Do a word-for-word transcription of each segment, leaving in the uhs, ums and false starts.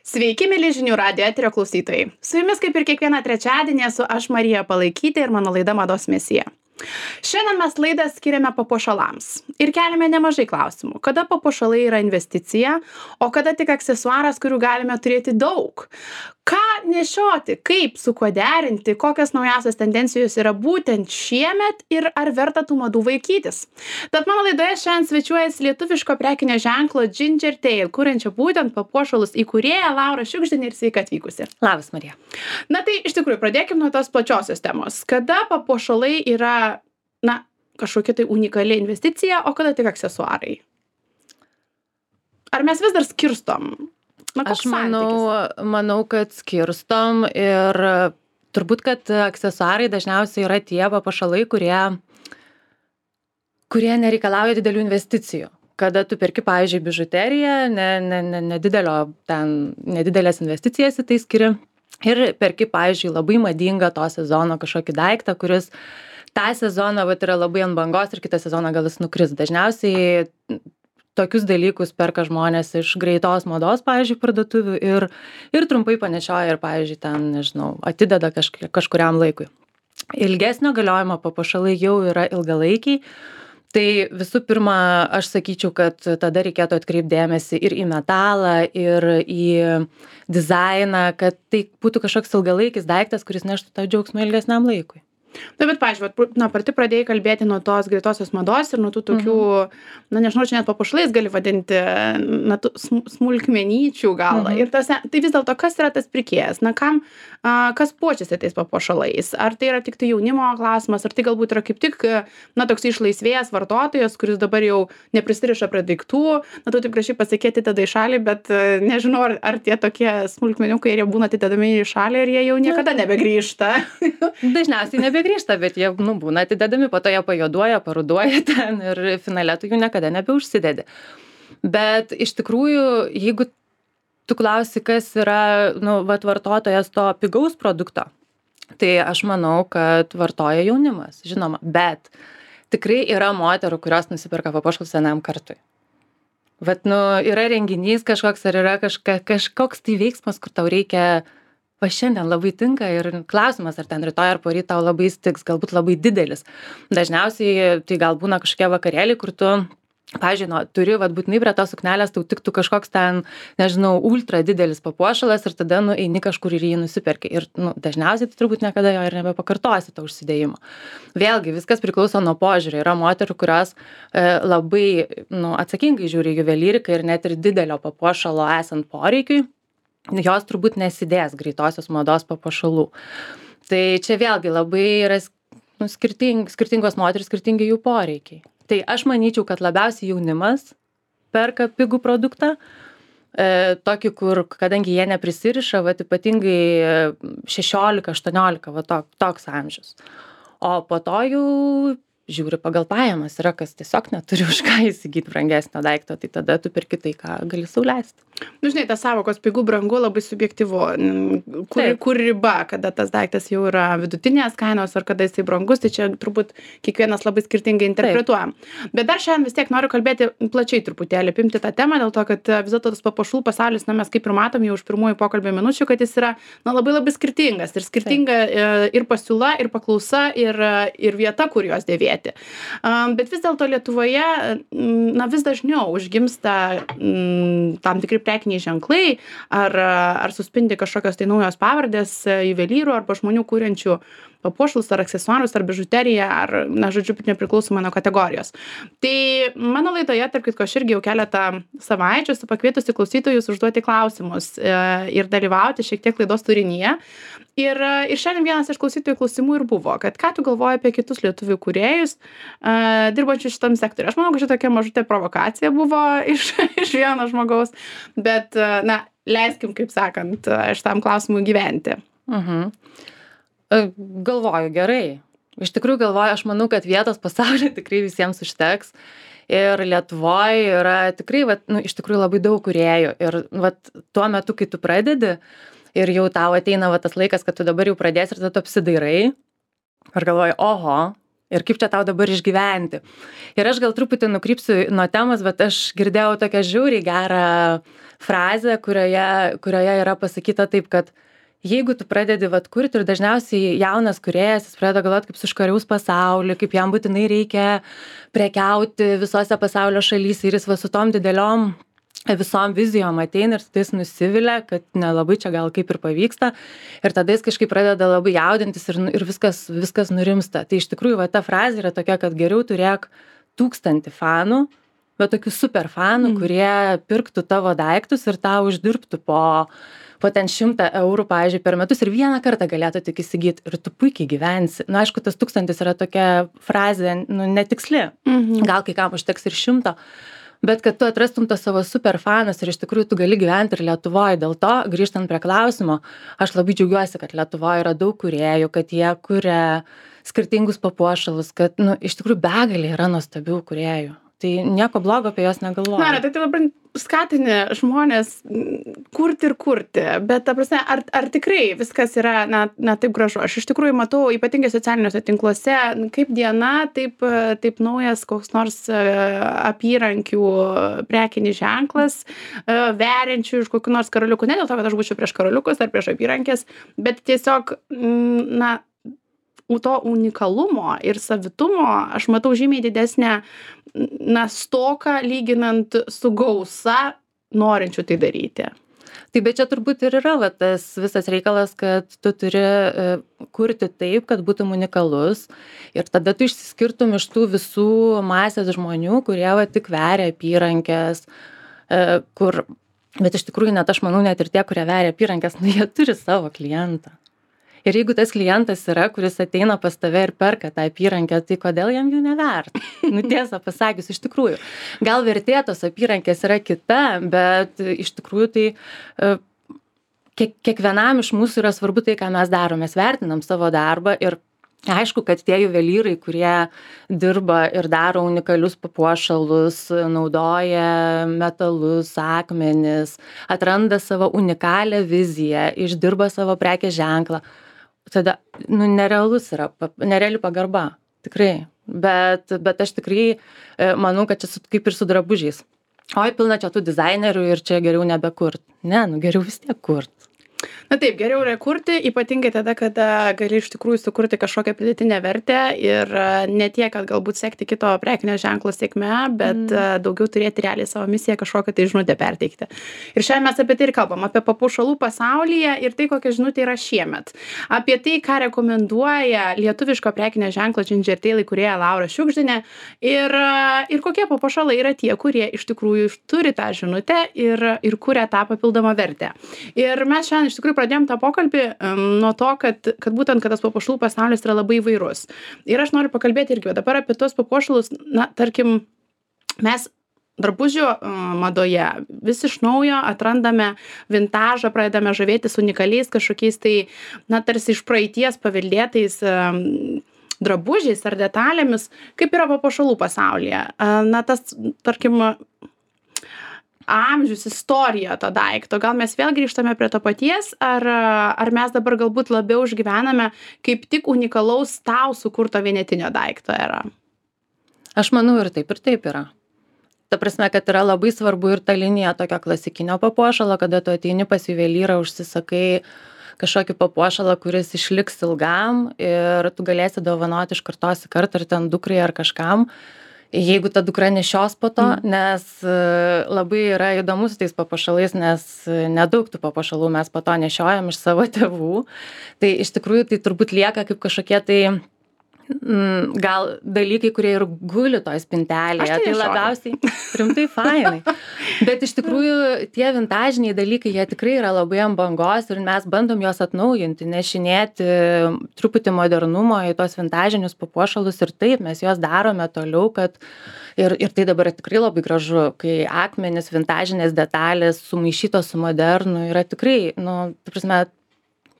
Sveiki, mėly žinių radio eterio klausytojai. Su jumis kaip ir kiekvieną trečiadienį esu aš Marija Palaikytė ir mano laida Mados misija. Šiandien mes laidą skiriame papuošalams ir keliame nemažai klausimų. Kada papuošalai yra investicija, o kada tik aksesuaras, kurių galime turėti daug? Ką nešioti, kaip su kuo derinti, kokios naujausios tendencijos yra būtent šiemet ir ar verta tų madų vaikytis. Tad mano laidoje šiandien svečiuojasi lietuviško prekinio ženklo Ginger Tail, kuriančio būtent papuošalus įkūrėja Laura Šiugždienė ir sveika atvykusi. Labas, Marija. Na tai iš tikrųjų pradėkim nuo tos plačiosios temos. Kada papuošalai yra, na, kažkokia tai unikali investicija, o kada tik aksesuarai? Ar mes vis dar skirstom? Na, Aš manau, manau, kad skirstom ir turbūt, kad aksesuarai dažniausiai yra tie papuošalai, kurie, kurie nereikalauja didelių investicijų. Kada tu perki, pavyzdžiui, bižuteriją, ne, ne, ne, nedidelio, ten, nedidelės investicijas į tai skiri ir perki, pavyzdžiui, labai madingą to sezono kažkokį daiktą, kuris tą sezoną vat, yra labai ant bangos ir kitą sezoną gal jis nukris. Dažniausiai tokius dalykus perka žmonės iš greitos mados, pavyzdžiui, parduotuvių ir, ir trumpai panešioja ir, pavyzdžiui, ten, nežinau, atideda kažk kažkuriam laikui. Ilgesnio galiojimo papuošalai jau yra ilgalaikiai. Tai visų pirma, aš sakyčiau, kad tada reikėtų atkreipti dėmesį ir į metalą, ir į dizainą, kad tai būtų kažkoks ilgalaikis daiktas, kuris neštų tą džiaugsmą ilgesniam laikui. Na, bet, pavyzdžiui, na, pati pradėjai kalbėti nuo tos greitosios mados ir nuo tų tokių, mhm. na, nežinau, čia net papuošalais gali vadinti, na, tų smulkmenyčių gal. Mhm. Ir tas, tai vis dėlto, kas yra tas pirkėjas? Na, kam, a, kas puočiasi tais papuošalais? Ar tai yra tik tai jaunimo klausimas, ar tai galbūt yra kaip tik, na, toks išlaisvėjęs vartotojas, kuris dabar jau neprisiriša prie daiktų, na, tu taip gražiai pasakėti tada į šalį, bet nežinau, ar, ar tie tokie smulkmeniukai, jie būna atidedami į šalį ir jie jau niekada nebegrįžta. Dažniausiai nebegrįžta. grįžta, bet jie, nu, būna atidedami, po to jie pajuoduoja, paruduoja ten ir finale tu jų niekada nebeužsidedi. Bet iš tikrųjų, jeigu tu klausi, kas yra, nu, vat, vartotojas to pigaus produkto, tai aš manau, kad vartoja jaunimas, žinoma, bet tikrai yra moterų, kurios nusiperka papuošalus senam kartui. Vat, nu, yra renginys kažkoks, ar yra kažka, kažkoks tai veiksmas, kur tau reikia va šiandien labai tinka ir klausimas, ar ten rytoj ar poryt tau labai stiks, galbūt labai didelis. Dažniausiai tai gal būna kažkokie vakarėliai, kur tu, pavyzdžiui, nu, turi vat, būtinai prie tos suknelės, tau tiktų kažkoks ten, nežinau, ultra didelis papuošalas ir tada nu, eini kažkur ir jį nusiperki. Ir nu, dažniausiai tu turbūt niekada jo ir nebepakartosi to užsidėjimo. Vėlgi, viskas priklauso nuo požiūrio. Yra moterų, kurios e, labai nu, atsakingai žiūri juvelyriką ir net ir didelio papuošalo esant poreikiui. Jos turbūt nesidės greitosios mados papuošalų. Tai čia vėlgi labai yra nu, skirting, skirtingos moterys, skirtingi jų poreikiai. Tai aš manyčiau, kad labiausiai jaunimas perka pigų produktą, e, tokį, kur, kadangi jie neprisiriša, vat, ypatingai šešiolika aštuoniolika, va, tok, toks amžius. O po to jau žiūri pagal pajamas, yra kas tiesiog neturi už ką įsigyti brangesnio daikto, tai tada tu perki tai, ką gali sau leisti. Nu, žinai, tas savokos pigų brangu labai subjektyvu. Kur, kur riba, kada tas daiktas jau yra vidutinės kainos ar kada jisai brangus, tai čia turbūt kiekvienas labai skirtingai interpretuojam. Taip. Bet dar šiandien vis tiek noriu kalbėti plačiai truputėlį, pimti tą temą, dėl to, kad vis dėlto tas papuošalų pasaulis, na, mes kaip ir matom jau už pirmųjų pokalbio minučių, kad jis yra na, labai labai skirtingas ir skirtinga Taip. ir pasiūla, ir paklausa, ir, ir vieta, kur juos dėvėti. Bet vis dėlto Lietuvoje, na, vis dažniau užgimsta m, tam tikri prekiniai ženklai, ar, ar suspindi kažkokios tai naujos pavardės juvelyrų arba žmonių kūrenčių papuošalus ar aksesuarus ar bižuteriją ar, na, žodžiu, nepriklausomai nuo kategorijos. Tai mano laidoje, tarp kitko, aš irgi jau keletą savaičių esu pakvietusi klausytojus užduoti klausimus e, ir dalyvauti šiek tiek laidos turinyje. Ir, ir šiandien vienas iš klausytojų klausimų ir buvo, kad ką tu galvoji apie kitus lietuvių kūrėjus e, dirbančius šitam sektoriu. Aš manau, kad šitokia mažutė provokacija buvo iš, iš vieno žmogaus, bet, na, leiskim, kaip sakant, šitam klausimui gyventi. Mhm. Galvoju gerai. Iš tikrųjų galvoju, aš manau, kad vietos pasaulyje tikrai visiems užteks. Ir Lietuvoje yra tikrai, vat, nu, iš tikrųjų labai daug kūrėjų. Ir vat, tuo metu, kai tu pradedi ir jau tau ateina vat, tas laikas, kad tu dabar jau pradėsi ir tada tu apsidairai. Ir galvoju, oho, ir kaip čia tau dabar išgyventi. Ir aš gal truputį nukrypsiu nuo temos, bet aš girdėjau tokią žiauriai gerą frazę, kurioje, kurioje yra pasakyta taip, kad jeigu tu pradedi vat kurti ir dažniausiai jaunas kūrėjas, jis pradeda galvoti, kaip suškariaus pasaulį, kaip jam būtinai reikia prekiauti visose pasaulio šalyse ir jis va su tom dideliom visom vizijom ateina ir tada jis nusivilia, kad nelabai čia gal kaip ir pavyksta ir tada jis kažkaip pradeda labai jaudintis ir, ir viskas, viskas nurimsta. Tai iš tikrųjų va ta frazė yra tokia, kad geriau turėk tūkstantį fanų, bet tokių super fanų, mm. kurie pirktų tavo daiktus ir tau uždirbtų po, po ten šimtą eurų, pavyzdžiui, per metus ir vieną kartą galėtų tik įsigyti ir tu puikiai gyvensi. Na, aišku, tas tūkstantis yra tokia frazė, nu, netiksli. Mm-hmm. Gal kai kam užteks ir šimto. Bet kad tu atrastum to savo super fanus ir iš tikrųjų tu gali gyventi ir Lietuvoje. Dėl to, grįžtant prie klausimo, aš labai džiaugiuosi, kad Lietuvoje yra daug kūrėjų, kad jie kuria skirtingus papuošalus, kad, nu, iš tikrųjų begalė yra nuostabių kūrėjų. Tai nieko blogo apie juos negalvoju. Na, tai tai labai skatini žmonės kurti ir kurti, bet, ta prasme, ar, ar tikrai viskas yra, na, na, taip gražu? Aš iš tikrųjų matau, ypatingai socialiniuose tinkluose, kaip diena, taip, taip naujas koks nors apyrankių prekinis ženklas, veriančių iš kokių nors karoliukų, ne dėl to, kad aš būčiau prieš karoliukus ar prieš apyrankės, bet tiesiog, na, to unikalumo ir savitumo aš matau žymiai didesnę, na, stoką lyginant su gausa norinčių tai daryti. Tai bet čia turbūt ir yra va, tas visas reikalas, kad tu turi uh, kurti taip, kad būtum unikalus ir tada tu išsiskirtum iš tų visų masės žmonių, kurie va, tik veria apyrankės, uh, kur, bet iš tikrųjų net aš manau, net ir tie, kurie veria apyrankės, nu, jie turi savo klientą. Ir jeigu tas klientas yra, kuris ateina pas tave ir perka tą apyrankę, tai kodėl jam jų neverta? Nu, tiesą pasakius, iš tikrųjų. Gal vertė tos apyrankės yra kita, bet iš tikrųjų tai kiek, kiekvienam iš mūsų yra svarbu tai, ką mes darom. Mes vertinam savo darbą ir aišku, kad tie juvelyrai, kurie dirba ir daro unikalius papuošalus, naudoja metalus, akmenis, atranda savo unikalią viziją, išdirba savo prekės ženklą, tada, nu, nerealus yra, nereali pagarba, tikrai. Bet, bet aš tikrai manau, kad čia su, kaip ir su drabužiais. Oi, pilna čia tų dizainerių ir čia geriau nebekurt. Ne, nu, geriau vis tiek kurt. Na taip, geriau yra kurti, ypatingai tada, kada gali iš tikrųjų sukurti kažkokią pridėtinę vertę ir ne tiek, kad galbūt sekti kito prekinio ženklo sėkme, bet mm. daugiau turėti realiai savo misiją kažkokią tai žinutę perteikti. Ir šiandien mes apie tai ir kalbam, apie papuošalų pasaulyje ir tai, kokia žinutė yra šiemet. Apie tai, ką rekomenduoja lietuviško prekinio ženklo Ginger Tail įkūrėja Laura Šiugždienė ir, ir kokie papuošalai yra tie, kurie iš tikrųjų turi tą žinutę ir, ir kuria tą papildomą vertę. Ir mes šiandien iš tikrųjų pradėjom tą pokalbį um, nuo to, kad, kad būtent, kad tas papuošalų pasaulis yra labai įvairus. Ir aš noriu pakalbėti irgi dabar apie tuos papuošalus, na, tarkim, mes drabužių um, madoje vis iš naujo atrandame vintažą, pradedame žavėtis unikaliais kažkokiais tai, na, tarsi iš praeities paveldėtais um, drabužiais ar detalėmis, kaip yra papuošalų pasaulyje. Uh, na, tas, tarkim, amžius, istorija to daikto. Gal mes vėl grįžtame prie to paties, ar, ar mes dabar galbūt labiau išgyvename kaip tik unikalaus tau sukurto vienetinio daikto erą? Aš manau ir taip, ir taip yra. Ta prasme, kad yra labai svarbu ir ta linija tokio klasikinio papuošalo, kada tu ateini pas juvelyrą, užsisakai kažkokį papuošalą, kuris išliks ilgam ir tu galėsi dovanoti iš kartos į kartą ar ten dukrai ar kažkam. Jeigu ta dukra nešios po to, mm. nes labai yra įdomu su tais papuošalais, nes nedaug tų papuošalų mes po to nešiojam iš savo tėvų. Tai iš tikrųjų tai turbūt lieka kaip kažkokie tai mm, gal dalykai, kurie ir guli toj spintelėje. Tai, tai labiausiai rimtai fainai. Bet iš tikrųjų tie vintažiniai dalykai, jie tikrai yra labai ant bangos ir mes bandom juos atnaujinti, nešinėti truputį modernumo į tos vintažinius papuošalus ir taip, mes juos darome toliau, kad ir, ir tai dabar tikrai labai gražu, kai akmenis, vintažinės detalės sumaišytos su modernu yra tikrai, nu, ta prasme,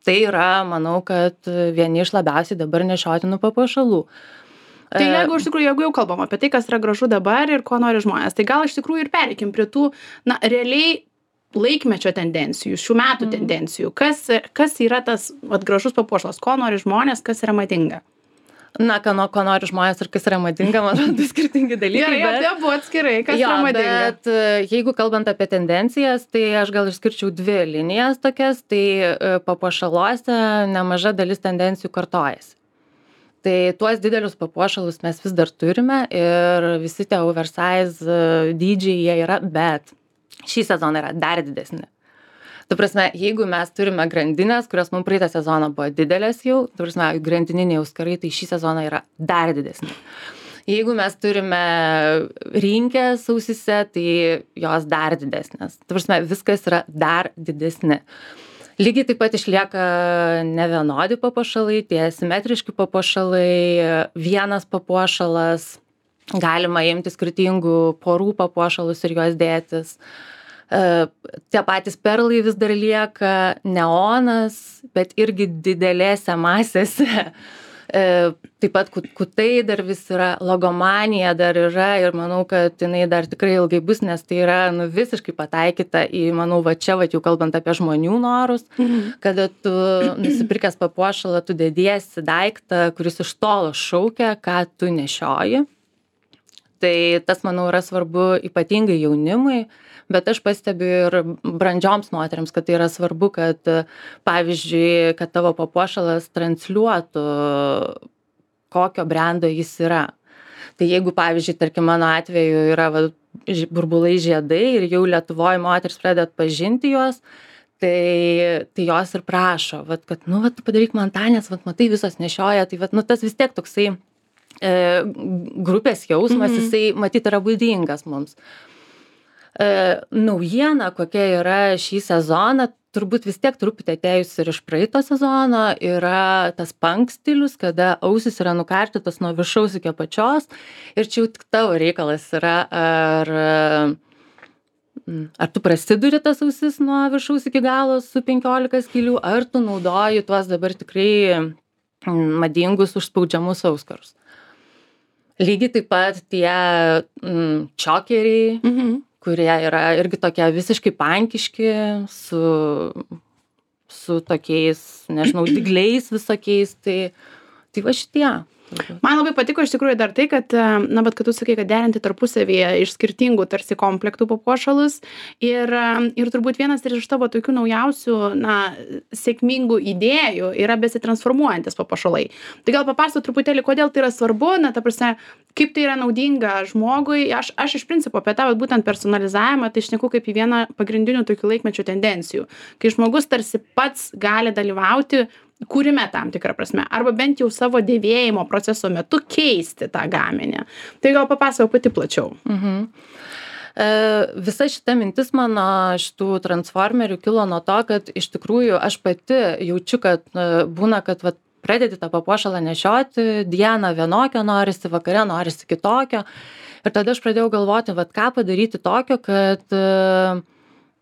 tai yra, manau, kad vieni iš labiausiai dabar nešiotinų papuošalų. Tai jeigu iš tikrųjų, jeigu jau kalbam apie tai, kas yra gražu dabar ir ko nori žmonės, tai gal iš tikrųjų ir pereikim prie tų, na, realiai laikmečio tendencijų, šių metų mm. tendencijų. Kas, kas yra tas vat, gražus papuošalas, ko nori žmonės, kas yra madinga? Na, ką, ko nori žmonės ir kas yra madinga, man atrodo, du skirtingi dalykai. Gerai, bet... apie abu atskirai, kas jo, yra madinga. Bet e, jeigu kalbant apie tendencijas, tai aš gal išskirčiau dvi linijas tokias, tai e, papuošaluose nemaža dalis tendencijų kartojasi. Tai tuos didelius papuošalus mes vis dar turime ir visi tie oversize e, dydžiai jie yra, bet šį sezoną yra dar didesni. Tu prasme, jeigu mes turime grandinės, kurios mums praeitą sezoną buvo didelės jau, tu prasme, grandininiai auskarai, tai šį sezoną yra dar didesni. Jeigu mes turime rinkės ausise, tai jos dar didesnės. Tu prasme, viskas yra dar didesni. Lygiai taip pat išlieka nevienodi papuošalai, tie simetriški papuošalai, vienas papuošalas, galima imti skirtingų porų papuošalus ir juos dėtis. Uh, tie patys perlai vis dar lieka, neonas, bet irgi didelėse masėse. Uh, taip pat kutai dar vis yra, logomanija dar yra ir manau, kad jinai dar tikrai ilgai bus, nes tai yra nu, visiškai pataikyta į, manau, va čia, va jau kalbant apie žmonių norus, mhm. kada tu nusipirkęs papuošalą, tu dediesi daiktą, kuris iš tolo šaukia, ką tu nešioji. Tai tas, manau, yra svarbu ypatingai jaunimui, bet aš pastebiu ir brandžioms moteriams, kad tai yra svarbu, kad, pavyzdžiui, kad tavo papuošalas transliuotų, kokio brendo jis yra. Tai jeigu, pavyzdžiui, tarkim, mano atveju yra va, burbulai žiedai ir jau Lietuvoje moteris pradeda atpažinti juos, tai, tai jos ir prašo, vat, kad, nu, vat, padaryk man tą, nes, vat, matai, visos nešioja, tai, vat, nu, tas vis tiek toksai e, grupės jausmas, mm-hmm. jisai, matyt, yra būdingas mums. E, naujiena, kokia yra šį sezoną, turbūt vis tiek truputį atėjus ir iš praeito sezono, yra tas punk stilius, kada ausis yra nukartytos nuo viršaus iki apačios ir čia jau tik tavo reikalas yra, ar, ar tu prasiduri tas ausis nuo viršaus iki galo su penkiolika skylių, ar tu naudoji tuos dabar tikrai madingus užspaudžiamus auskarus. Lygiai taip pat tie mm, čokeriai, mhm. kurie yra irgi tokie visiškai pankiški, su, su tokiais, nežinau, dygliais visokiais, tai, tai va šitie. Man labai patiko iš tikrųjų dar tai, kad, na, bet kad tu sakai, kad derinti tarpusavyje iš skirtingų tarsi komplektų papuošalus ir, ir turbūt vienas iš tavo tokių naujausių, na, sėkmingų idėjų yra besitransformuojantis papuošalai. Tai gal papasakok truputėlį, kodėl tai yra svarbu, na, ta prasme, kaip tai yra naudinga žmogui. Aš, aš iš principo apie tą būtent personalizavimą, tai šneku kaip į vieną pagrindinių tokių laikmečio tendencijų, kai žmogus tarsi pats gali dalyvauti kūrime tam tikrą prasme, arba bent jau savo dėvėjimo proceso metu keisti tą gaminį. Tai gal papasakok pati plačiau. Mhm. E, visa šita mintis mano šitų transformerių kilo nuo to, kad iš tikrųjų aš pati jaučiu, kad būna, kad vat, pradedi tą papuošalą nešioti, dieną vienokio norisi, vakare norisi kitokio. Ir tada aš pradėjau galvoti, vat, ką padaryti tokio, kad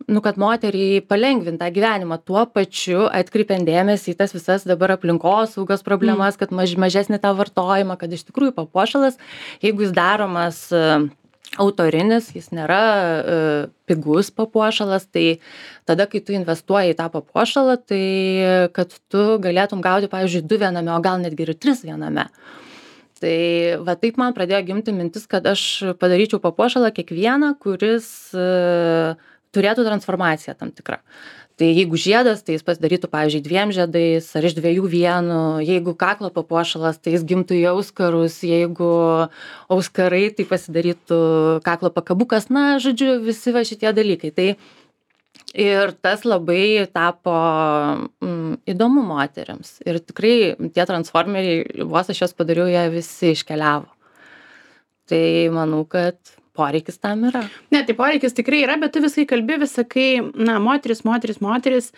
nu, kad moteriai palengvint tą gyvenimą, tuo pačiu atkreipiant dėmesį į tas visas dabar aplinkosaugos problemas, kad maž, mažesnį tą vartojimą, kad iš tikrųjų papuošalas, jeigu jis daromas uh, autorinis, jis nėra uh, pigus papuošalas, tai tada, kai tu investuoji į tą papuošalą, tai kad tu galėtum gauti, pavyzdžiui, du viename, o gal netgi ir tris viename. Tai va taip man pradėjo gimti mintis, kad aš padaryčiau papuošalą kiekvieną, kuris uh, turėtų transformaciją tam tikrą. Tai jeigu žiedas, tai jis pasidarytų, pavyzdžiui, dviem žiedais, ar iš dviejų vienu, jeigu kaklo papuošalas, tai jis gimtų į auskarus, jeigu auskarai, tai pasidarytų kaklo pakabukas, na, žodžiu, visi va šitie dalykai. Tai ir tas labai tapo mm, įdomu moteriams. Ir tikrai tie transformeriai, vos aš juos padariau, jie visi iškeliavo. Tai manau, kad poreikis tam yra. Ne, tai poreikis tikrai yra, bet tu visai kalbi, visakai, na, moteris, moteris, moteris,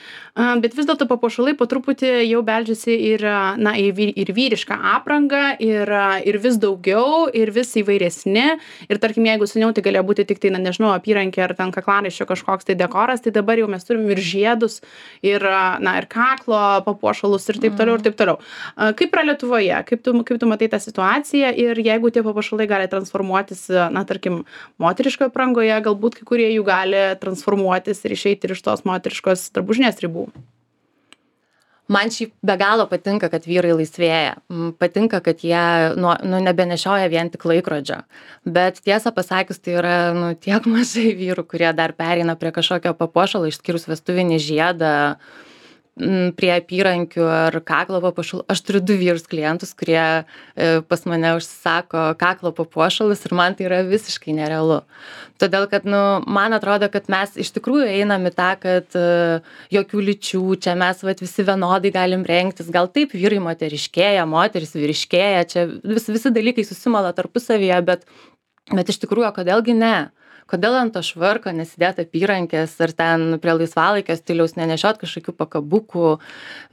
bet vis dėlto papuošalai po truputį jau beldžiasi ir, na, ir vyrišką aprangą, ir, ir vis daugiau, ir vis įvairesni. Ir tarkim, jeigu seniau tai galėjo būti tik tai, na, nežinau, apyrankė ar ten kaklaraiščio kažkoks tai dekoras, tai dabar jau mes turim ir žiedus, ir, na, ir kaklo papuošalus ir taip toliau, ir taip toliau. Kaip yra Lietuvoje? Kaip tu, kaip tu matai tą situaciją? Ir jeigu tie papuošalai gali transformuotis, na, tarkim, moteriškoje aprangoje, galbūt kai kurie jų gali transformuotis ir išeiti iš tos moteriškos drabužinės ribų. Man šiaip be galo patinka, kad vyrai laisvėja. Patinka, kad jie nu, nu, nebenešioja vien tik laikrodžio. Bet tiesą pasakius, tai yra nu, tiek mažai vyrų, kurie dar pereina prie kažkokio papuošalo, išskyrus vestuvinį žiedą, prie apyrankių ar kaklo papuošalų. Aš turiu du vyrus klientus, kurie pas mane užsisako kaklo papuošalus ir man tai yra visiškai nerealu. Todėl, kad nu, man atrodo, kad mes iš tikrųjų einam į tą, kad uh, jokių lyčių, čia mes vat, visi vienodai galim rengtis. Gal taip vyrai moteriškėja, moteris vyriškėja, čia vis, visi dalykai susimala tarpusavyje, bet, bet iš tikrųjų, kodėlgi ne? Kodėl ant to švarko nesidėt apyrankės ar ten prie laisvalaikio stiliaus nenešiot kažkokių pakabukų.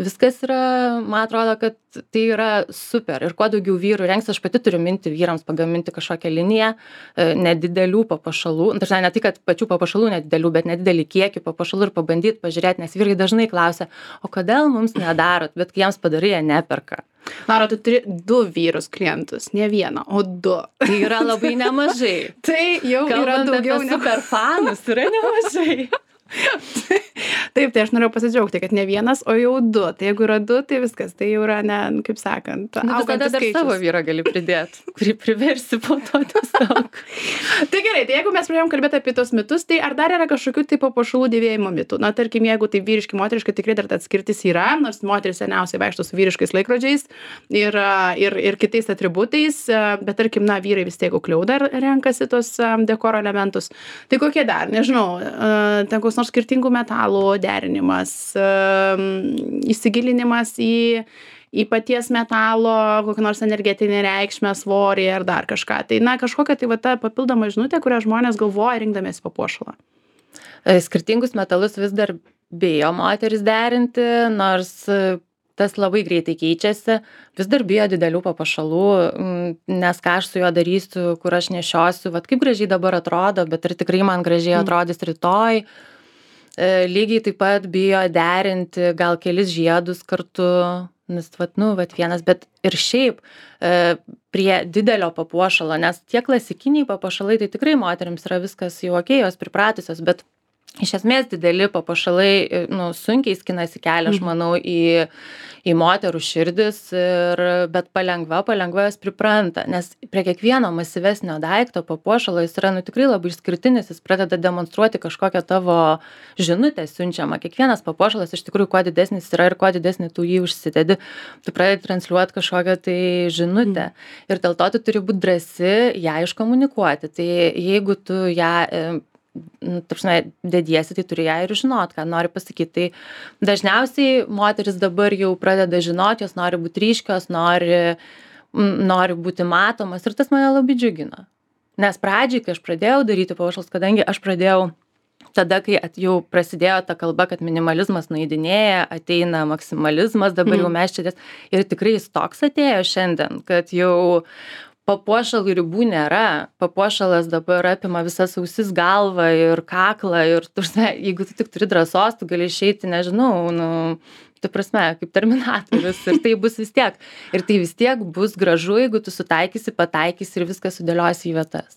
Viskas yra, man atrodo, kad tai yra super. Ir kuo daugiau vyrų rengs, aš pati turiu minti vyrams pagaminti kažkokią liniją nedidelių papuošalų. Dažnai ne tai, kad pačių papuošalų nedidelių, bet nedidelį kiekį papuošalų ir pabandyti pažiūrėti, nes vyrai dažnai klausia, o kodėl mums nedarot, bet kai jiems padarai, jie neperka. Lara, tu turi du vyrus klientus, ne vieną, o du. Tai yra labai nemažai. Tai jau Kalbant yra daugiau apie super fanus, yra nemažai. Taip, tai aš norėjau pasidžiaugti, kad ne vienas, o jau du. Tai jeigu yra du, tai viskas, tai jau yra, ne, kaip sakant, nu, visada dar skaičius. Savo vyrą gali pridėti, kurį priversi po to tiesiog. Tai gerai, tai jeigu mes pradėjom kalbėti apie tos mitus, tai ar dar yra kažkokių tai papuošalų dėvėjimo mitų? Na, tarkim, jeigu tai vyriški, moteriškai, tikrai dar ta atskirtis yra, nors moteris seniausiai vaikšto su vyriškais laikrodžiais ir, ir, ir kitais atributais, bet tarkim, na, vyrai vis tiek kukliau dar renkasi tos dekoro elementus. Tai kokie dar, nežinau, ten koks nors skirtingų metalų derinimas, įsigilinimas į, į paties metalo, kokią nors energetinę reikšmę, svorį ar dar kažką. Tai, na, kažkokia tai va ta papildoma žinutė, kurią žmonės galvoja rinkdamiesi papuošalą. Skirtingus metalus vis dar bijo moteris derinti, nors tas labai greitai keičiasi. Vis dar bijo didelių papuošalų, nes ką aš su juo darysiu, kur aš nešiosiu, vat kaip gražiai dabar atrodo, bet ir tikrai man gražiai atrodys rytoj. Lygiai taip pat bijo derinti gal kelis žiedus kartu, nes vat, nu, vat vienas, bet ir šiaip prie didelio papuošalo, nes tie klasikiniai papuošalai, tai tikrai moterims yra viskas jau okei, jos pripratusios, bet iš esmės dideli papuošalai, nu, sunkiai skinasi kelią, aš manau, į, į moterų širdis, ir, bet palengva, palengva jos pripranta, nes prie kiekvieno masyvesnio daikto papuošalo jis yra, nu, tikrai labai išskirtinis, jis pradeda demonstruoti kažkokią tavo žinutę siunčiamą. Kiekvienas papuošalas iš tikrųjų, kuo didesnis yra ir kuo didesnį tu jį užsidedi, tu pradedi transliuoti kažkokią tai žinutę. Mm. Ir dėl to tu turi būti drąsi ją iškomunikuoti. Tai jeigu tu ją nu, tarpsime, dediesi, tai turi ją ir žinot, ką nori pasakyti. Tai dažniausiai moteris dabar jau pradeda žinoti, jos nori būti ryškios, nori, nori būti matomas ir tas mane labai džiugina. Nes pradžiai, kai aš pradėjau daryti papuošalus, kadangi aš pradėjau tada, kai jau prasidėjo ta kalba, kad minimalizmas nueidinėja, ateina maksimalizmas, dabar mm. jau mes čia dės. Ir tikrai jis toks atėjo šiandien, kad jau papuošalų ribų nėra. Papuošalas dabar apima visas ausis, galvą ir kaklą. Ir tu, jeigu tu tik turi drąsos, tu gali išeiti, nežinau, nu, tu prasme, kaip Terminatorius. Ir tai bus vis tiek. Ir tai vis tiek bus gražu, jeigu tu sutaikysi, pataikysi ir viską sudėliosi į vietas.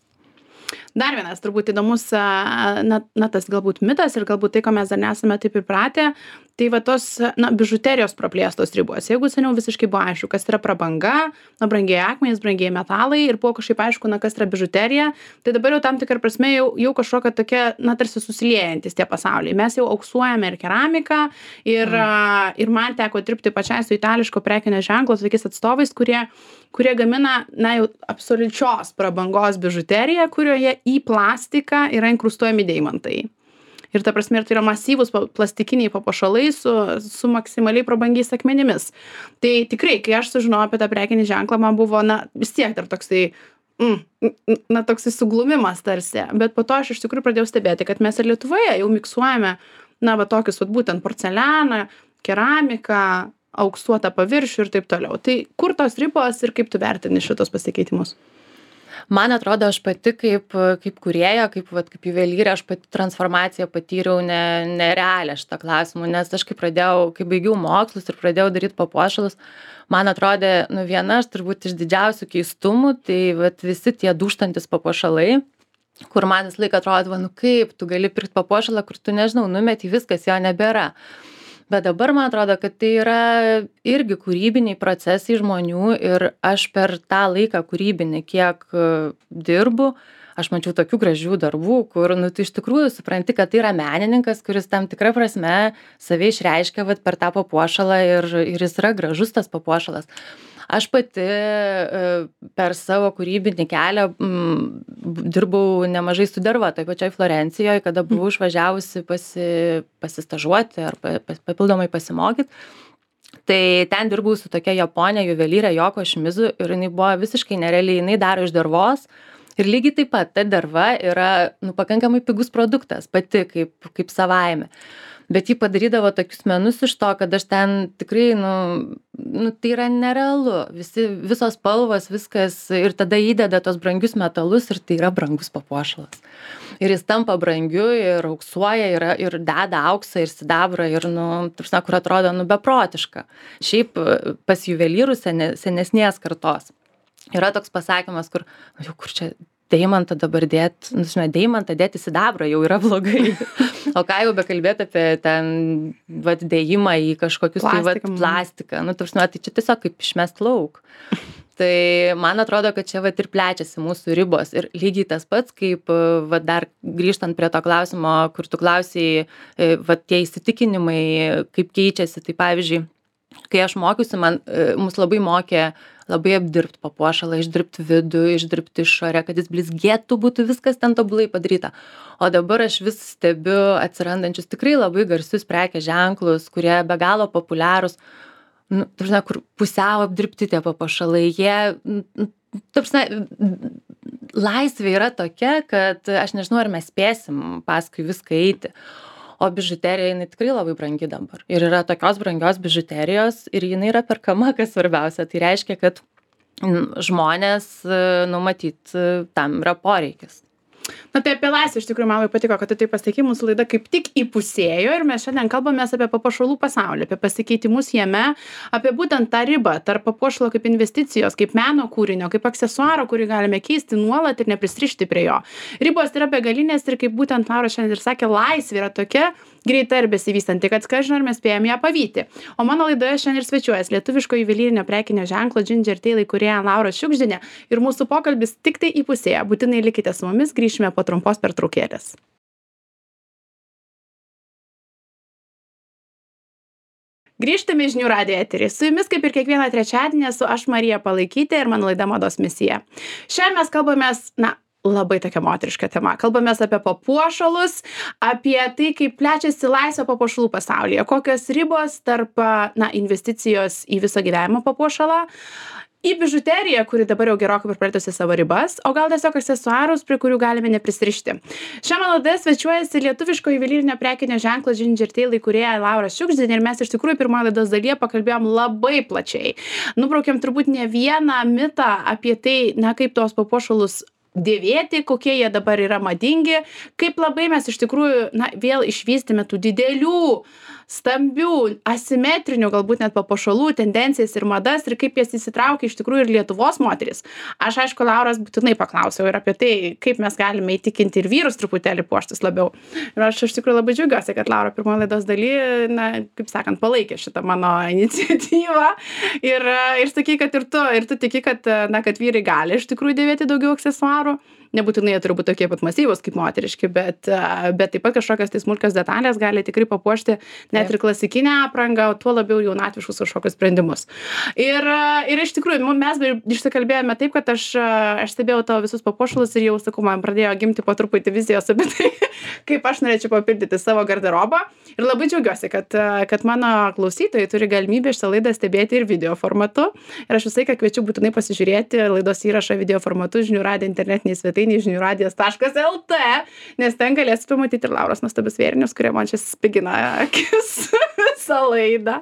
Dar vienas turbūt įdomus, na, na tas galbūt mitas ir galbūt tai, ko mes dar nesame taip įpratę, tai va tos, na, bižuterijos praplėstos ribos. Jeigu seniau visiškai buvo aišku, kas yra prabanga, na, brangiai akmenys, brangiai metalai ir buvo kažkaip aišku, na, kas yra bižuterija, tai dabar jau tam tikrą prasme jau, jau kažkokia tokia, na, tarsi susiliejantis tie pasauliai. Mes jau auksuojame ir keramiką ir, mm. ir man teko dirbti pačiai su itališko prekinio ženklo tokiais atstovais, kurie, kurie gamina, na, jau absoliučios prabangos bižuteriją, kurioje į plastiką yra inkrustuojami deimantai. Ir ta prasme, ir tai yra masyvūs plastikiniai papuošalai su, su maksimaliai prabangiais akmenimis. Tai tikrai, kai aš sužinojau apie tą prekinį ženklą, man buvo, na, vis tiek dar toksai, mm, na, toksai suglumimas tarsi. Bet po to aš iš tikrųjų pradėjau stebėti, kad mes ir Lietuvoje jau miksuojame, na, va tokius, va, būtent porcelianą, keramiką, auksuotą paviršių ir taip toliau. Tai kur tos ribos ir kaip tu vertini šitos pasikeitimus? Man atrodo, aš pati kaip, kaip kūrėja, kaip, vat, kaip juvelyrė, aš pati transformaciją patyriau ne, nerealią šitą klausimą, nes aš kai pradėjau, kai baigiau mokslus ir pradėjau daryti papuošalus, man atrodė, nu, viena aš turbūt iš didžiausių keistumų, tai vat, visi tie dūžtantis papuošalai, kur man vis laik atrodo, nu kaip, tu gali pirkti papuošalą, kur tu, nežinau, numeti viskas, jo nebėra. Bet dabar man atrodo, kad tai yra irgi kūrybiniai procesai žmonių ir aš per tą laiką kūrybinį, kiek dirbu, aš mačiau tokių gražių darbų, kur, nu, tu iš tikrųjų supranti, kad tai yra menininkas, kuris tam tikrą prasme save išreiškia vat, per tą papuošalą ir, ir jis yra gražus tas papuošalas. Aš pati per savo kūrybinį kelią m, dirbau nemažai su derva, toj pačioj Florencijoje, kada buvau išvažiavusi pasi, pasistažuoti ar pa, papildomai pasimokyti. Tai ten dirbau su tokia japonė juvelyrė Joko Šimizu ir jinai buvo visiškai nerealiai, jinai daro iš dervos. Ir lygiai taip pat ta derva yra nu, pakankamai pigus produktas, pati kaip, kaip savaime. Bet ji padarydavo tokius menus iš to, kad aš ten tikrai, nu, nu tai yra nerealu. Visi, visos spalvos, viskas ir tada įdeda tos brangius metalus ir tai yra brangus papuošalas. Ir jis tampa brangiu ir auksuoja ir, ir deda auksą ir sidabrą ir, nu, tarpsna, kur atrodo, nu, beprotiška. Šiaip pas juvelyrus sene, senesnės kartos. Yra toks pasakymas, kur, nu, jau kur čia deimantą dabar dėt, nu, žinai, deimantą dėti sidabrą jau yra blogai. O ką jau bekalbėti apie ten, vat, dėjimą į kažkokius tai, vat, plastiką. Nu, tarsi, tai čia tiesiog kaip išmest lauk. Tai man atrodo, kad čia vat ir plečiasi mūsų ribos. Ir lygiai tas pats, kaip vat, dar grįžtant prie to klausimo, kur tu klausei, vat, tie įsitikinimai, kaip keičiasi. Tai pavyzdžiui, kai aš mokiausi, man, mus labai mokė labai apdirbti papuošalą, išdirbti vidų, išdirbti išorę, kad jis blizgėtų, būtų viskas ten tobulai padaryta. O dabar aš vis stebiu atsirandančius tikrai labai garsius prekės ženklus, kurie be galo populiarūs, nu, tarsi, kur pusiau apdirbti tie papuošalai. Jie, tarsi, laisvė yra tokia, kad aš nežinau, ar mes spėsim paskui viską eiti. O bižuterija, jinai tikrai labai brangi dabar. Ir yra tokios brangios bižuterijos ir jinai yra perkama, kas svarbiausia. Tai reiškia, kad žmonės, numatyt, tam yra poreikis. Na tai apie laisvę iš tikrųjų man labai patiko, kad tu tai pasakei, mūsų laida kaip tik įpusėjo ir mes šiandien kalbamės apie papuošalų pasaulį, apie pasikeitimus jame, apie būtent tą ribą tarp papuošalo kaip investicijos, kaip meno kūrinio, kaip aksesuaro, kurį galime keisti nuolat ir nepristrižti prie jo. Ribos yra begalinės ir kaip būtent Laura šiandien ir sakė, laisvė yra tokia greita ir besivystanti, kad kažin ar mes spėjame ją pavyti. O mano laidoje šiandien ir svečiuojas lietuviško juvelyrinio prekinio ženklo Ginger Tail įkūrėja Laura Šiugždienė ir mūsų pokalbis tik tai įpusėjo. Būtinai likite su mumis, grįšime po trumpos pertraukėlės. Grįžtame į Žinių radijo eterį. Su jumis kaip ir kiekvieną trečiadienį esu aš Marija Palaikytė ir mano laida Mados misija. Šiandien mes kalbamės, na, labai tokia moteriška tema. Kalbamės apie papuošalus, apie tai, kaip plečiasi laisvė papuošalų pasaulyje, kokios ribos tarp, na, investicijos į viso gyvenimo papuošalą, į bižuteriją, kuri dabar jau gerokai perplėtusi savo ribas, o gal tiesiog aksesuarus, prie kurių galime neprisirišti. Šią malodę svečiuojasi lietuviško juvelyrinio prekinio ženklo Ginger Tail įkūrėja Laura Šiugždienė ir mes iš tikrųjų pirmoje laidos dalyje pakalbėjom labai plačiai. Nubraukėm turbūt ne vieną mitą apie tai, na, kaip tos papuošalus dėvėti, kokie jie dabar yra madingi, kaip labai mes iš tikrųjų, na, vėl išvystėme tų didelių, stambių, asimetrinių, galbūt net papuošalų tendencijas ir madas ir kaip jas įsitraukia iš tikrųjų ir Lietuvos moteris. Aš, aišku, Lauros būtinai paklausiau ir apie tai, kaip mes galime įtikinti ir vyrus truputėlį puoštis labiau. Ir aš iš tikrųjų labai džiaugiuosi, kad Laura pirmoje laidos daly, na, kaip sakant, palaikė šitą mano iniciatyvą ir, ir sakai, kad ir tu, ir tu tiki, kad, na, kad vyrai gali iš tikrųjų dėvėti daugiau aksesuarų. Nebūtinai jie turi būti tokie pat masyvūs kaip moteriški, bet, bet taip pat kažkokios tai smulkios detalės gali tikrai papuošti net ir klasikinę aprangą, tuo labiau jaunatviškus kažkokius sprendimus. Ir, ir iš tikrųjų, mes išsikalbėjome taip, kad aš, aš stebėjau tavo visus papuošalus ir jau, sakau, man pradėjo gimti po truputį vizijos apie tai, kaip aš norėčiau papildyti savo garderobą. Ir labai džiaugiuosi, kad, kad mano klausytojai turi galimybę šitą laidą stebėti ir video formatu. Ir aš visai, kad kviečiu būtinai pasižiūrėti laidos įrašą video formatu Žinių radijo internetiniai svetainiai žinių radijas taškas el tė, nes ten galėsite pamatyti ir Lauros nuostabius vėrinius, kurie man čia spigina akis visą laidą.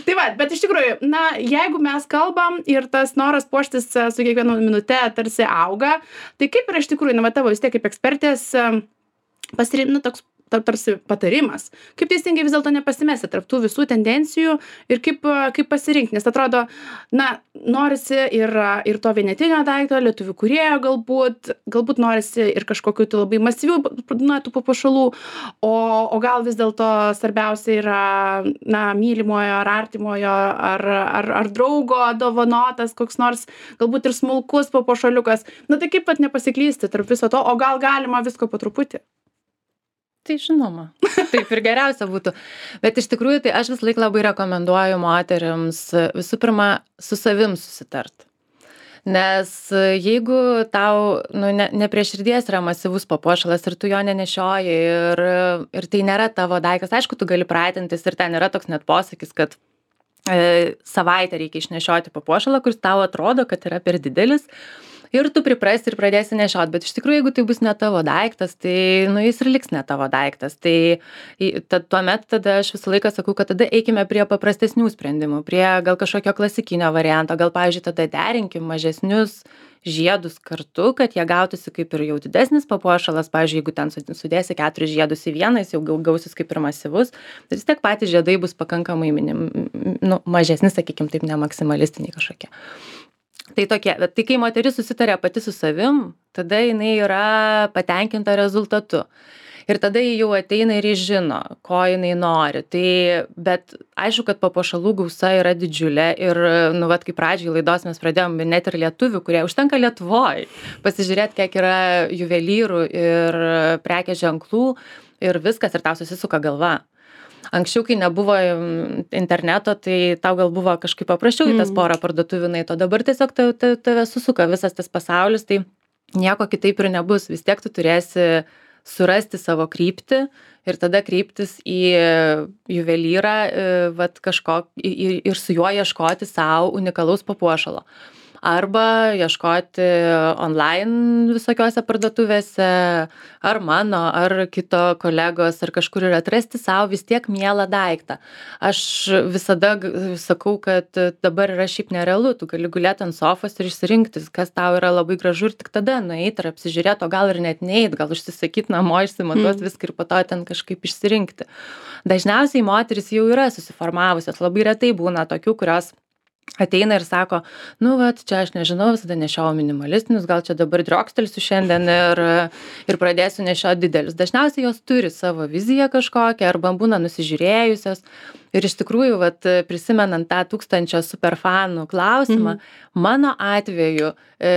Tai va, bet iš tikrųjų, na, jeigu mes kalbam ir tas noras puoštis su kiekvienu minute tarsi auga, tai kaip yra iš tikrųjų, na, va, tavo vis tiek kaip ekspertės pasirim, nu, toks tarsi patarimas, kaip teisingai vis dėlto nepasimesti tarp tų visų tendencijų ir kaip, kaip pasirinkti, nes atrodo, na, norisi ir, ir to vienetinio daikto, lietuvių kūrėjo galbūt, galbūt norisi ir kažkokių tai labai masyvių, na, tų papuošalų, o, o gal vis dėlto svarbiausia yra, na, mylimojo ar artimojo ar, ar, ar draugo dovanotas koks nors, galbūt ir smulkus papuošaliukas. Na tai kaip pat nepasiklysti tarp viso to, o gal galima visko po truputį? Tai žinoma, taip ir geriausia būtų. Bet iš tikrųjų, tai aš vis laik labai rekomenduoju moterims visų pirma su savim susitart. Nes jeigu tau nu, ne, ne prie širdies yra masyvus papuošalas ir tu jo nenešioji ir, ir tai nėra tavo daiktas, aišku, tu gali pratintis ir ten yra toks net posakis, kad e, savaitę reikia išnešioti papuošalą, kuris tau atrodo, kad yra per didelis. Ir tu priprasi ir pradėsi nešiot, bet iš tikrųjų, jeigu tai bus ne tavo daiktas, tai nu, jis ir liks ne tavo daiktas. Tai tad, tuomet tada aš visą laiką sakau, kad tada eikime prie paprastesnių sprendimų, prie gal kažkokio klasikinio varianto, gal, pavyzdžiui, tada derinkim mažesnius žiedus kartu, kad jie gautųsi kaip ir jau didesnis papuošalas. Pavyzdžiui, jeigu ten sudėsi keturis žiedus į vieną, jis jau gausis kaip ir masyvus, bet vis tiek patys žiedai bus pakankamai minim, nu, mažesni, sakykim, taip ne maksimalistiniai kažkokie. Tai tokie, bet tai kai moteris susitarė pati su savim, tada jinai yra patenkinta rezultatu. Ir tada jį jau ateina ir jį žino, ko jinai nori. Tai, bet aišku, kad papuošalų gausa yra didžiulė ir, nu, vat, kaip pradžiai laidos mes pradėjom net ir lietuvių, kurie užtenka Lietuvoj, pasižiūrėti, kiek yra juvelyrų ir prekės ženklų ir viskas, ir tau susisuka galva. Anksčiau, kai nebuvo interneto, tai tau gal buvo kažkaip paprasčiau į tas porą parduotuvių nueit, o dabar tiesiog tave, tave susuka visas tas pasaulis, tai nieko kitaip ir nebus. Vis tiek tu turėsi surasti savo kryptį ir tada kreiptis į juvelyrą vat, kažko, ir su juo ieškoti savo unikalaus papuošalo. Arba ieškoti online visokiose parduotuvėse, ar mano, ar kito kolegos, ar kažkur ir atrasti savo vis tiek mielą daiktą. Aš visada sakau, kad dabar yra šiaip nerealu, tu gali gulėti ant sofos ir išsirinktis, kas tau yra labai gražu ir tik tada nueit ir apsižiūrėti, o gal ir net neit, gal užsisakyti namo, išsimatuos mm. viską ir po to ten kažkaip išsirinkti. Dažniausiai moteris jau yra susiformavusios, labai retai būna tokių, kurios ateina ir sako, nu, vat, čia aš nežinau, visada nešiau minimalistinius, gal čia dabar driokstelsiu šiandien ir, ir pradėsiu nešioti didelius. Dažniausiai jos turi savo viziją kažkokią arba būna nusižiūrėjusios. Ir iš tikrųjų, vat, prisimenant tą tūkstančio superfanų klausimą, mhm. mano atveju e,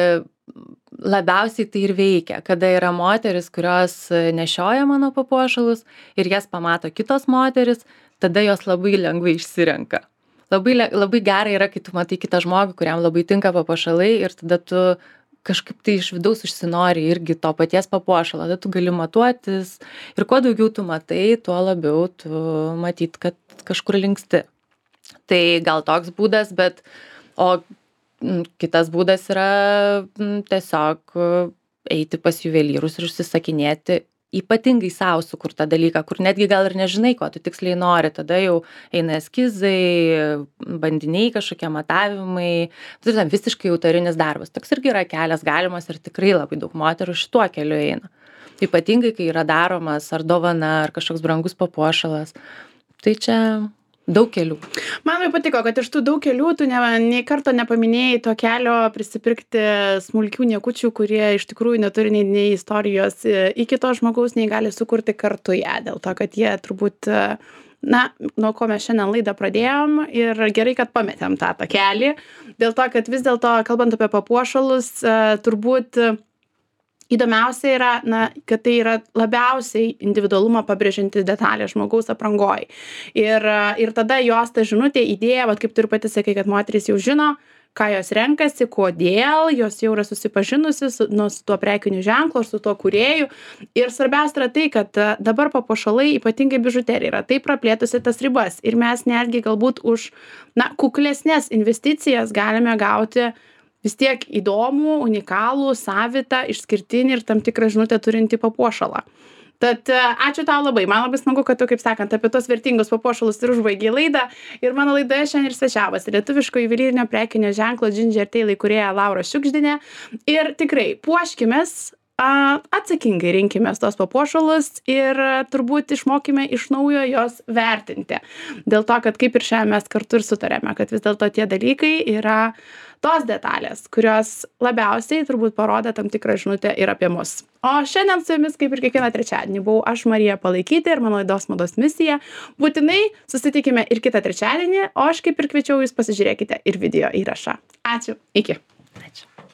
labiausiai tai ir veikia, kada yra moteris, kurios nešioja mano papuošalus ir jas pamato kitos moteris, tada jos labai lengvai išsirenka. Labai, labai gerai yra, kai tu matai kitą žmogų, kuriam labai tinka papuošalai ir tada tu kažkaip tai iš vidaus užsinori irgi to paties papuošalo, tada tu gali matuotis ir kuo daugiau tu matai, tuo labiau tu matyt, kad kažkur linksti. Tai gal toks būdas, bet o kitas būdas yra tiesiog eiti pas juvelyrus ir užsisakinėti ypatingai savo sukurtą dalyką, kur netgi gal ir nežinai, ko tu tiksliai nori, tada jau eina eskizai, bandiniai, kažkokie matavimai, tai yra visiškai autorinis darbas. Toks irgi yra kelias galimas ir tikrai labai daug moterų šituo keliu eina. Ypatingai, kai yra daromas ar dovana, ar kažkoks brangus papuošalas. Tai čia daug kelių. Man labai patiko, kad iš tų daug kelių tu ne, nei karto nepaminėjai to kelio prisipirkti smulkių niekučių, kurie iš tikrųjų neturi nei, nei istorijos iki to žmogaus, nei gali sukurti kartu ją. Dėl to, kad jie turbūt, na, nuo ko mes šiandien laidą pradėjom ir gerai, kad pametėm tą takelį. Dėl to, kad vis dėlto, kalbant apie papuošalus, turbūt įdomiausia yra, na, kad tai yra labiausiai individualumą pabrėžianti detalė žmogaus aprangoj. Ir, ir tada jos ta žinutė, idėja, vat kaip tu ir pati sakai, kad moteris jau žino, ką jos renkasi, kodėl, jos jau yra susipažinusi su, nu, su tuo prekiniu ženklu, su tuo kūrėju. Ir svarbiausia yra tai, kad dabar papuošalai, ypatingai bižuterija, yra taip praplėtusi tas ribas. Ir mes netgi galbūt už, na, kuklesnės investicijas galime gauti vis tiek įdomų, unikalų, savitą, išskirtinį ir tam tikrą žinutę turinti papuošalą. Tad ačiū tau labai. Man labai smagu, kad tu, kaip sakant, apie tos vertingus papuošalus ir užbaigiai laidą. Ir mano laidoje šiandien ir svečiavosi lietuviško juvelyrinio prekinio ženklo Ginger Tail įkūrėja Laura Šiugždienė. Ir tikrai puoškimės atsakingai rinkimės tos papuošalus ir turbūt išmokime iš naujo jos vertinti. Dėl to, kad kaip ir šiandien mes kartu ir sutarėme, kad vis dėlto tie dalykai yra tos detalės, kurios labiausiai turbūt parodo tam tikrą žinutę ir apie mus. O šiandien su jumis, kaip ir kiekvieną trečiadienį, buvau aš Marija Palaikytė ir mano laidos Mados misija. Būtinai susitikime ir kitą trečiadienį, o aš kaip ir kviečiau jūs pasižiūrėkite ir video įrašą. Ačiū. Iki. Ačiū.